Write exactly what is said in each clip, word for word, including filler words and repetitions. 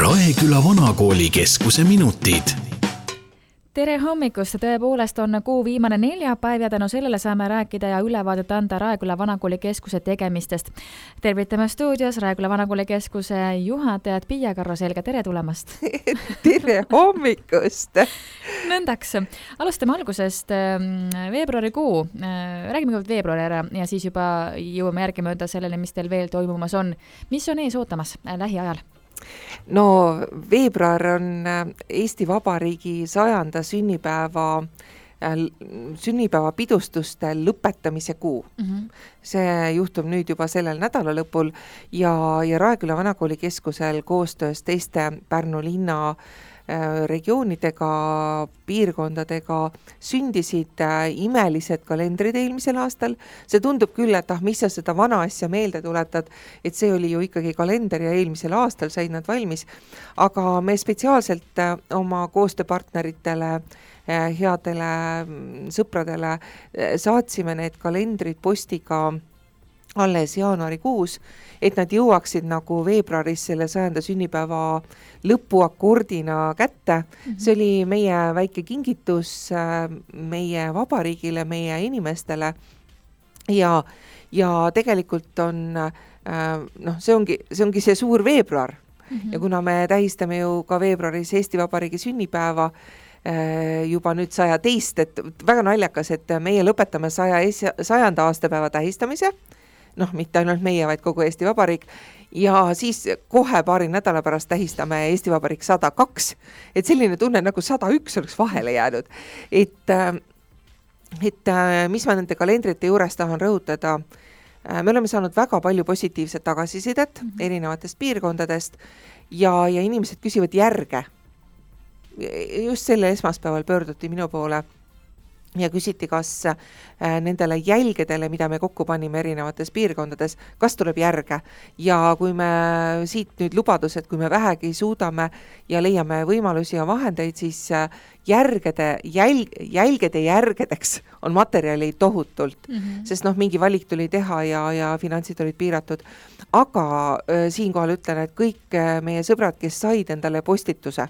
Raeküla Vanakooli keskuse minutid. Tere hommikust, tõepoolest on kuu viimane neljapäev ja tänu sellele saame rääkida ja ülevaadet anda Raeküla Vanakooli keskuse tegemistest. Tervitame stuudios Raeküla Vanakooli keskuse juhatajat Piia Karro-Selga, tere tulemast! Tere hommikust! Nõndaks, alustame algusest veebruarikuu. Räägime kõigepealt veebruari ära ja siis juba jõuame järgi mööda sellele, mis teil veel toimumas on. Mis on ees ootamas lähiajal? No veebruar on Eesti Vabariigi sajanda sünnipäeva, sünnipäeva pidustuste lõpetamise kuu. Mm-hmm. See juhtub nüüd juba sellel nädala lõpul ja, ja Raeküla Vanakooli keskusel koostöös teiste Pärnu linna regioonidega, piirkondadega sündisid imelised kalendrid eelmisel aastal. See tundub küll, et ah, mis sa seda vana asja meelde tuletad, et see oli ju ikkagi kalender ja eelmisel aastal said nad valmis. Aga me spetsiaalselt oma koostööpartneritele, headele sõpradele saatsime need kalendrid postiga alles jaanuarikuus, et nad jõuaksid nagu veebruaris selle sajanda sünnipäeva lõpuakordina kätte. Mm-hmm. See oli meie väike kingitus meie vabariigile, meie inimestele ja, ja tegelikult on, noh, see ongi, see ongi see suur veebruar. Mm-hmm. Ja kuna me tähistame ju ka veebruaris Eesti Vabariigi sünnipäeva, juba nüüd saja teist, et väga naljakas, et meie lõpetame saja, sajanda aastapäeva tähistamise, noh, mitte ainult meie, vaid kogu Eesti Vabariik, ja siis kohe paari nädala pärast tähistame Eesti Vabariik sada kaks, et selline tunne nagu sada üks oleks vahele jäänud. Et, et mis ma nende kalendrite juures tahan rõhutada, me oleme saanud väga palju positiivset tagasisidet mm-hmm. erinevatest piirkondadest ja, ja inimesed küsivad järge. Just selle esmaspäeval pöörduti minu poole ja küsiti, kas nendele jälgedele, mida me kokku panime erinevates piirkondades, kas tuleb järge. Ja kui me siit nüüd lubadused, kui me vähegi suudame ja leiame võimalusi ja vahendeid, siis järgede, jälg, jälgede järgedeks on materjali tohutult, mm-hmm. sest noh, mingi valik tuli teha ja, ja finantsid olid piiratud. Aga äh, siinkohal ütlen, et kõik meie sõbrad, kes said endale postituse,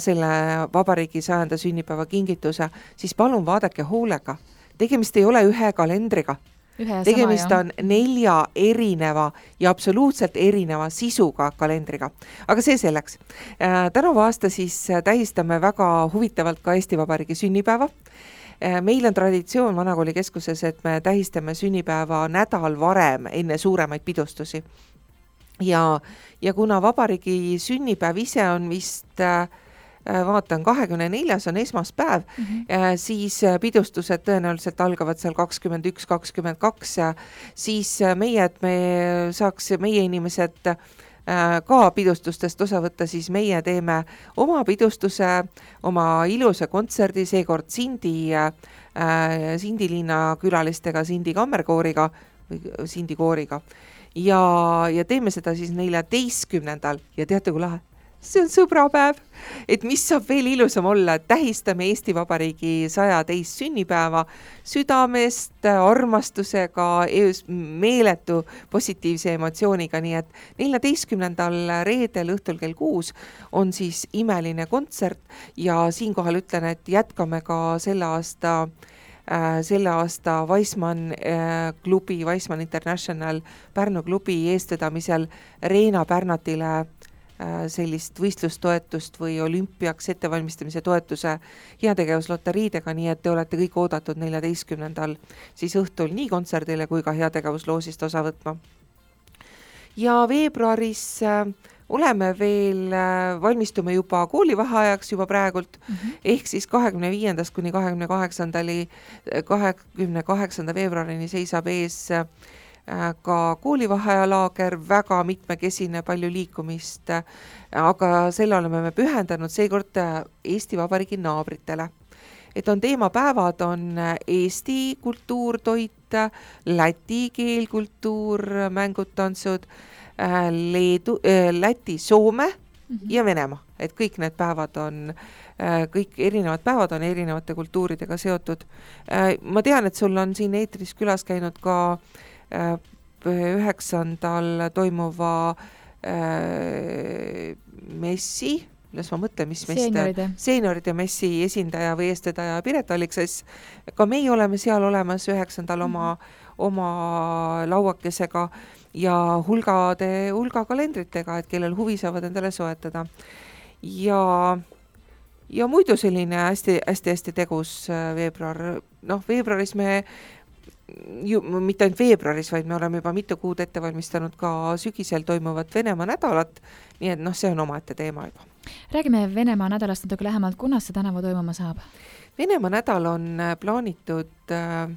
selle vabariigi sajanda sünnipäeva kingituse, siis palun vaadake hoolega. Tegemist ei ole ühe kalendriga. Ühe Tegemist sama, on nelja erineva ja absoluutselt erineva sisuga kalendriga. Aga see selleks. Tänavu aasta siis tähistame väga huvitavalt ka Eesti Vabariigi sünnipäeva. Meil on traditsioon Vanakooli keskuses, et me tähistame sünnipäeva nädal varem enne suuremaid pidustusi. Ja, ja kuna vabariigi sünnipäev ise on vist vaatan, kahekümne neljas on esmaspäev, mm-hmm. siis pidustused tõenäoliselt algavad seal kakskümmend üks kakskümmend kaks ja siis meie, et me saaks meie inimesed ka pidustustest osa võtta, siis meie teeme oma pidustuse, oma ilusa kontserdi, seekord Sindi, Sindi linna külalistega, Sindi kammerkooriga või Sindi kooriga ja, ja teeme seda siis neljateistkümnendal ja teate kui lahe? See on sõbrapäev, et mis saab veel ilusam olla, et tähistame Eesti Vabariigi saja teist sünnipäeva südamest, armastusega, meeletu positiivse emotsiooniga, nii et neljateistkümnendal reedel õhtul kell kuus on siis imeline kontsert ja siinkohal ütlen, et jätkame ka selle aasta selle aasta Weissmann klubi, Weissmann International Pärnu klubi eestvedamisel Reena Pärnatile sellist võistlustoetust või olümpiaks ettevalmistamise toetuse heategevusloteriidega, nii et te olete kõik oodatud neljateistkümnendal siis õhtul nii kontserdile kui ka heategevusloosist osa võtma. Ja veebruaris oleme veel, valmistume juba koolivaheajaks juba praegult, mm-hmm. ehk siis kahekümne viiendast kuni kahekümne kaheksandani, kahekümne kaheksanda veebruarini seisab ees ka koolivaheajalaager, väga mitmekesine, palju liikumist, aga selle oleme me pühendanud seekord Eesti Vabariigi naabritele. Et on teemapäevad, on Eesti kultuur, toit, Läti keel, kultuur, mängud, tantsud, Leedu, Läti, Soome mm-hmm. ja Venemaa. Et kõik need päevad on, kõik erinevad päevad on erinevate kultuuridega seotud. Ma tean, et sul on siin eetris külas käinud ka üheksandal toimuva messi, las ma mõtlen, mis Seenioride. seenioride messi esindaja või eestvedaja Piret Alliksas. Ka meie oleme seal olemas üheksandal oma, oma lauakesega ja hulgade, hulga kalendritega, et kellel huvi saavad endale soetada. Ja, ja muidu selline hästi, hästi, hästi tegus veebruar. Noh, veebruaris me ju, mitte ainult veebruaris, vaid me oleme juba mitu kuud ette valmistanud ka sügisel toimuvat Venemaa nädalat, nii et noh, see on omaette teema juba. Räägime Venemaa nädalast natuke lähemalt, kunas see tänavu toimuma saab? Venemaa nädal on plaanitud äh,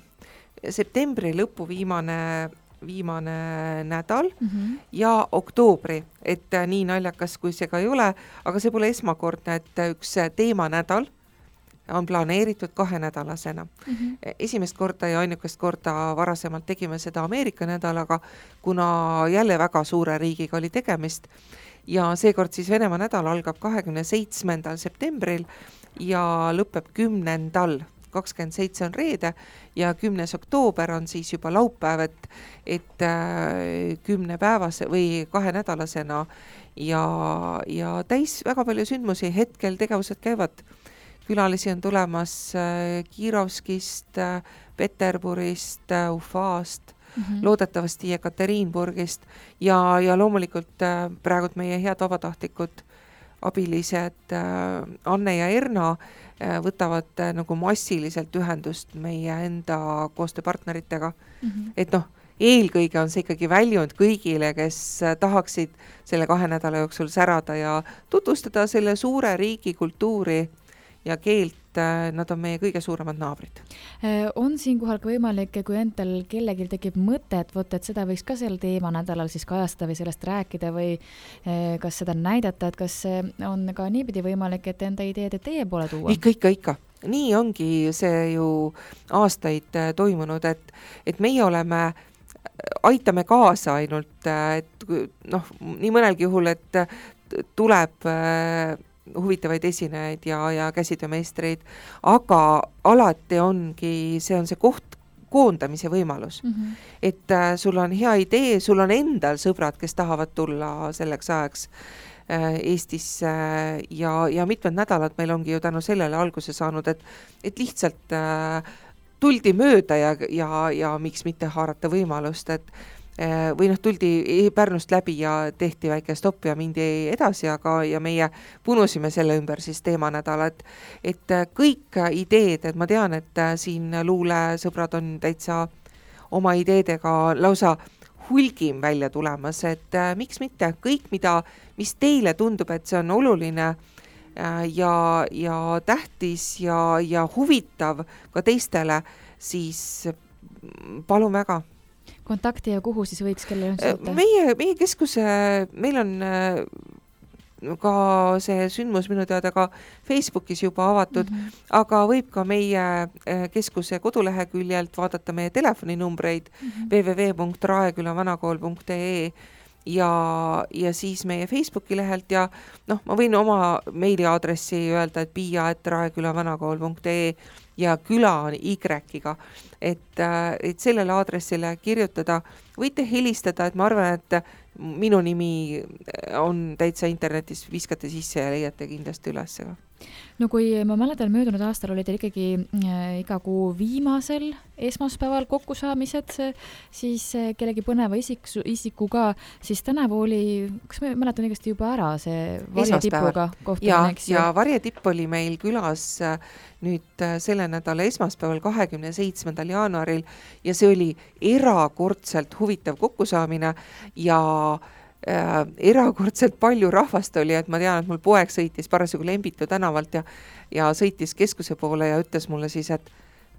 septembri lõpu viimane, viimane nädal mm-hmm. ja oktoobri, et äh, nii naljakas kui see ka ei ole, aga see pole esmakordne, et üks teemanädal on planeeritud kahenädalasena. Mm-hmm. Esimest korda ja ainukest korda varasemalt tegime seda Ameerika nädalaga, kuna jälle väga suure riigiga oli tegemist ja seekord siis Venemaa nädal algab kahekümne seitsmendal septembril ja lõpeb kümnendal, kakskümmend seitse on reede ja kümnes oktoober on siis juba laupäev, et, et kümne päevase või kahenädalasena ja, ja täis väga palju sündmusi, hetkel tegevused käivad. Külalisi on tulemas Kirovskist, Peterburist, Ufast, mm-hmm. loodetavasti Ekaterinburgist ja, ja loomulikult praegu meie head vabatahtlikud abilised Anne ja Erna võtavad nagu massiliselt ühendust meie enda koostööpartneritega. Mm-hmm. Et noh, eelkõige on see ikkagi väljund kõigile, kes tahaksid selle kahe nädala jooksul särada ja tutvustada selle suure riigi kultuuri ja keelt, nad on meie kõige suuremad naabrid. On siinkohal ka võimalik, kui endal kellelgi tekib mõte, et, võt, et seda võiks ka sel teema nädalal siis kajastada või sellest rääkida või kas seda näidata, et kas on ka niipidi võimalik, et enda ideed teie poole tuua? Ikka, ikka, ikka. Nii ongi see ju aastaid toimunud, et, et meie oleme, aitame kaasa ainult, et noh, nii mõnelgi juhul, et tuleb huvitavaid esinejaid ja, ja käsitöömeistreid, aga alati ongi, see on see koht koondamise võimalus. Mm-hmm. Et äh, sul on hea idee, sul on endal sõbrad, kes tahavad tulla selleks ajaks äh, Eestisse äh, ja, ja mitmed nädalad meil ongi ju tänu sellele alguse saanud, et, et lihtsalt äh, tuldi mööda ja, ja, ja miks mitte haarata võimalust, et või noh, tuldi Pärnust läbi ja tehti väike stopp ja mindi edasi, aga ja meie punusime selle ümber siis teemanädala, et, et kõik ideed, et ma tean, et siin luulesõbrad on täitsa oma ideedega lausa hulgim välja tulemas, et miks mitte kõik, mida, mis teile tundub, et see on oluline ja, ja tähtis ja, ja huvitav ka teistele, siis palun väga. Kontakti ja kuhu siis võiks kellele üldse? Meie, meie keskuse, meil on ka see sündmus minu teada ka Facebookis juba avatud, mm-hmm. aga võib ka meie keskuse koduleheküljelt vaadata meie telefoninumbreid mm-hmm. w w w punkt raekülavanakool punkt e e ja, ja siis meie Facebooki lehelt ja noh, ma võin oma meiliaadressi öelda, et pia et raekülavanakool punkt e e ja küla on Y-iga, et, et sellele aadressile kirjutada, võite helistada, et ma arvan, et minu nimi on täitsa internetis, viskate sisse ja leiate kindlasti üles. No kui ma mäletan, möödunud aastal oli teil ikkagi äh, iga kuu viimasel esmaspäeval kokkusaamised, siis äh, kellegi põneva isik, isikuga, siis tänavu oli, kas ma mäletan õigesti juba ära see varjetipuga kohtumine, eks ju? Ja varjetipp oli meil külas äh, nüüd äh, selle nädala esmaspäeval kahekümne seitsmendal jaanuaril ja see oli erakordselt huvitav kokkusaamine ja Äh, erakordselt palju rahvast oli, et ma tean, et mul poeg sõitis parasjagu Lembitu tänavalt ja, ja sõitis keskuse poole ja ütles mulle siis, et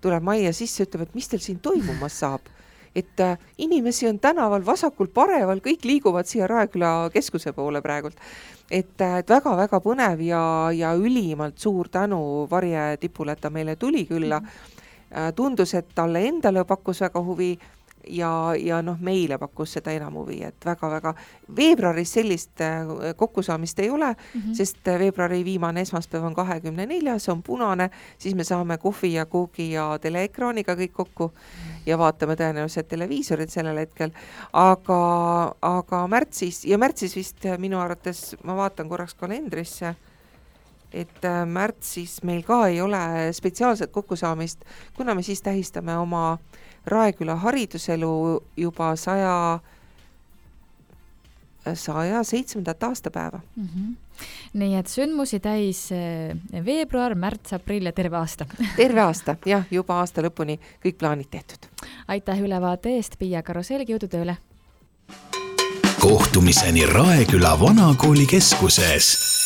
tuleb majja sisse, ütleb, et mis teil siin toimumas saab. Et äh, inimesi on tänaval vasakul pareval, kõik liiguvad siia Raeküla keskuse poole praegult. Et, et väga-väga põnev ja, ja ülimalt suur tänu Varje tipule, et ta meile tuli külla. Äh, tundus, et talle endale pakkus väga huvi. ja, ja noh, meile pakkus seda enam huvi, et väga-väga veebruaris sellist kokkusaamist ei ole, mm -hmm. sest veebruari viimane esmaspäev on kahekümne neljas, on punane, siis me saame kohvi ja koogi ja teleekraaniga kõik kokku ja vaatame tõenäoliselt televiisorit sellel hetkel, aga, aga märtsis, ja märtsis vist minu arvates, ma vaatan korraks kalendrisse, et märtsis meil ka ei ole spetsiaalset kokkusaamist, kuna me siis tähistame oma Raeküla hariduselu juba saja, saja seitsmendat aastapäeva. Mm -hmm. Nii et sündmusi täis veebruar, märts, aprill ja terve aasta. Terve aasta, jah, juba aasta lõpuni kõik plaanid tehtud. Aitäh ülevaate eest, Piia Karuselgi, jõudu tööle! Kohtumiseni Raeküla vanakooli keskuses.